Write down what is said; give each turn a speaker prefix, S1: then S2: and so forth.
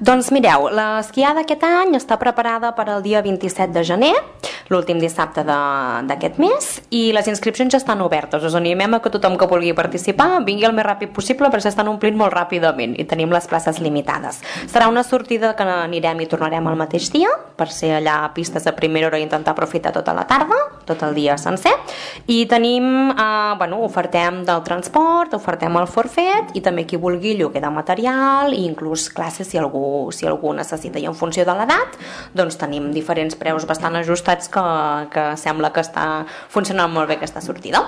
S1: Doncs mireu, l'esquiada aquest any està preparada per al dia 27 de gener, l'últim dissabte d'aquest mes, i les inscripcions ja estan obertes. Us animem a que tothom que vulgui participar vingui el més ràpid possible perquè s'estan omplint molt ràpidament i tenim les places limitades. Serà una sortida que anirem i tornarem al mateix dia, per ser allà a pistes a primera hora i intentar aprofitar tota la tarda, tot el dia sencer, i tenim, ofertem del transport, ofertem el forfet i també qui vulgui lloguer de material i inclús classes si algú necessita. I en funció de l'edat doncs tenim diferents preus bastant ajustats que sembla que està funcionant molt bé aquesta sortida.